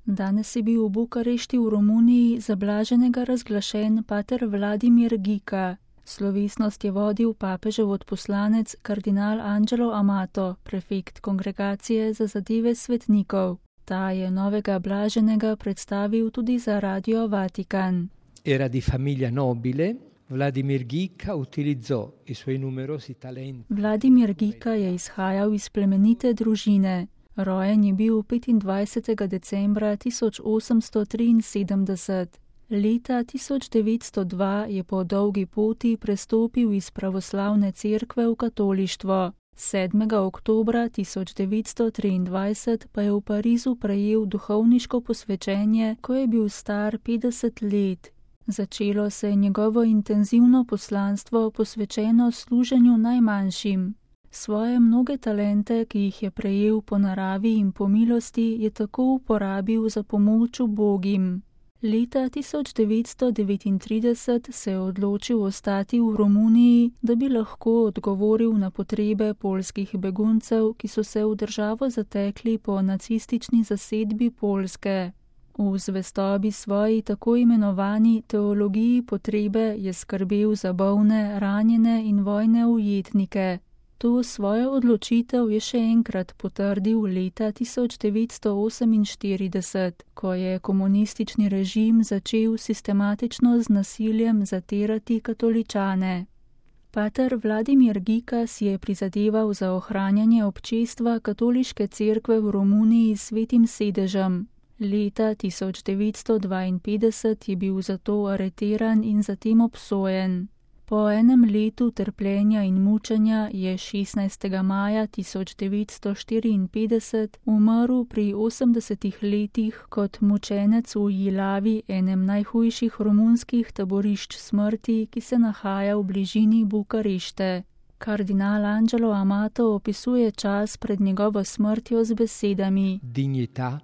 Danes je bil v Bukarešti v Romuniji za blaženega razglašen pater Vladimir Gika. Slovesnost je vodil papežev odposlanec kardinal Angelo Amato, prefekt Kongregacije za zadeve svetnikov. Ta je novega blaženega predstavil tudi za Radio Vatikan. Era di famiglia nobile. Vladimir Gika utilizzò i suoi numerosi talenti. Vladimir Gika je izhajal iz plemenite družine. Rojen je bil 25. decembra 1873. Leta 1902 je po dolgi poti prestopil iz pravoslavne cerkve v katolištvo. 7. oktobra 1923 pa je v Parizu prejel duhovniško posvečenje, ko je bil star 50 let. Začelo se je njegovo intenzivno poslanstvo posvečeno služenju najmanjšim. Svoje mnoge talente, ki jih je prejel po naravi in po milosti, je tako uporabil za pomoč ubogim. Leta 1939 se je odločil ostati v Romuniji, da bi lahko odgovoril na potrebe poljskih beguncev, ki so se v državo zatekli po nacistični zasedbi Poljske. V zvestobi svoji tako imenovani teologiji potrebe je skrbel za bolne, ranjene in vojne ujetnike. To svojo odločitev je še enkrat potrdil leta 1948, ko je komunistični režim začel sistematično z nasiljem zatirati katoličane. Pater Vladimir Gika si je prizadeval za ohranjanje občestva katoliške cerkve v Romuniji s svetim sedežem. Leta 1952 je bil zato areteran in zatem obsojen. Po enem letu trpljenja in mučenja je 16. maja 1954 umrl pri 80 letih kot mučenec v Jilavi, enem najhujših romunskih taborišč smrti, ki se nahaja v bližini Bukarešte. Kardinal Angelo Amato opisuje čas pred njegovo smrtjo z besedami: Dignità,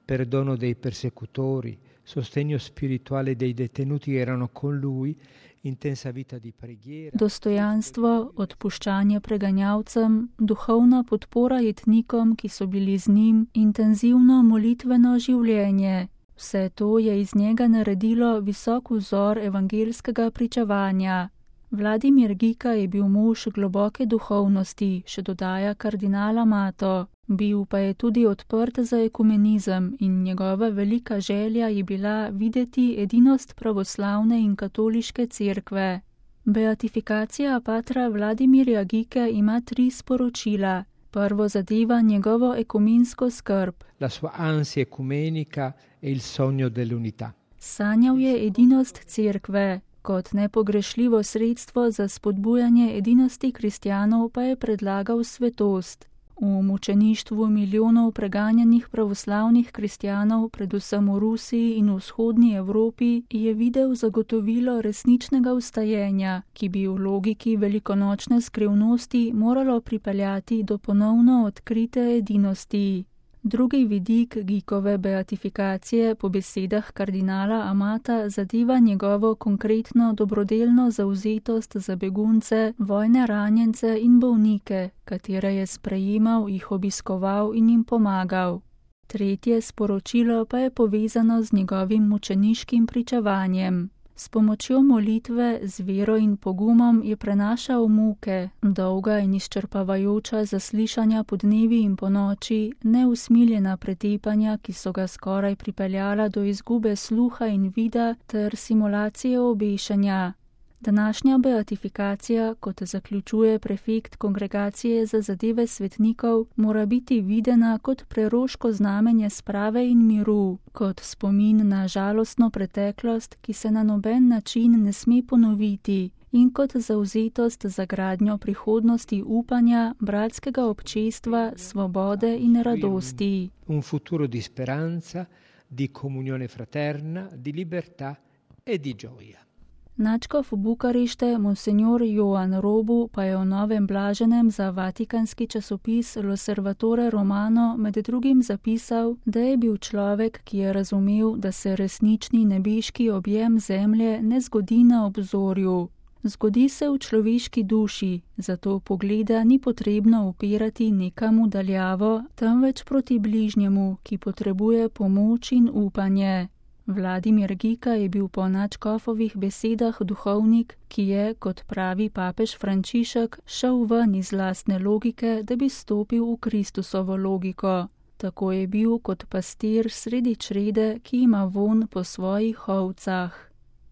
perdono dei persecutori, sostegno spirituale dei detenuti che erano con lui, intensa vita di preghiera. Dostojanstvo, odpuščanje preganjavcem, duhovna podpora jetnikom, ki so bili z njim, intenzivno molitveno življenje. Vse to je iz njega naredilo visok vzor evangelskega pričevanja. Vladimir Gika je bil mož globoke duhovnosti, še dodaja kardinal Amato. Bil pa je tudi odprt za ekumenizem in njegova velika želja je bila videti edinost pravoslavne in katoliške cerkve. Beatifikacija patra Vladimirja Gike ima 3 sporočila. Prvo zadeva njegovo ekumensko skrb. La sua ansia ecumenica e il sogno dell'unità. Sanjal je edinost cerkve. Kot nepogrešljivo sredstvo za spodbujanje edinosti kristjanov pa je predlagal svetost. V mučeništvu milijonov preganjanih pravoslavnih kristjanov, predvsem v Rusiji in v vzhodni Evropi, je videl zagotovilo resničnega vstajenja, ki bi v logiki velikonočne skrivnosti moralo pripeljati do ponovno odkrite edinosti. Drugi vidik Gikove beatifikacije po besedah kardinala Amata zadeva njegovo konkretno dobrodelno zavzetost za begunce, vojne ranjence in bolnike, katere je sprejemal, jih obiskoval in jim pomagal. Tretje sporočilo pa je povezano z njegovim mučeniškim pričevanjem. S pomočjo molitve, z vero in pogumom je prenašal muke, dolga in izčrpavajoča zaslišanja po dnevi in po noči, neusmiljena pretepanja, ki so ga skoraj pripeljala do izgube sluha in vida ter simulacije obešanja. Današnja beatifikacija, kot zaključuje prefekt Kongregacije za zadeve svetnikov, mora biti videna kot preroško znamenje sprave in miru, kot spomin na žalostno preteklost, ki se na noben način ne sme ponoviti, in kot zavzetost za gradnjo prihodnosti upanja, bratskega občestva, svobode in radosti. Un futuro di speranza, di comunione fraterna, di libertà e di gioia. Nadškof Bukarešte, monsenjor Joan Robu, pa je o novem blaženem za vatikanski časopis L'Osservatore Romano med drugim zapisal, da je bil človek, ki je razumel, da se resnični nebeški objem zemlje ne zgodi na obzorju. Zgodi se v človeški duši, zato pogleda ni potrebno upirati nekam v daljavo, temveč proti bližnjemu, ki potrebuje pomoč in upanje. Vladimir Gika je bil po nadškofovih besedah duhovnik, ki je, kot pravi papež Frančišek, šel ven iz lastne logike, da bi stopil v Kristusovo logiko. Tako je bil kot pastir sredi črede, ki ima vonj po svojih ovcah.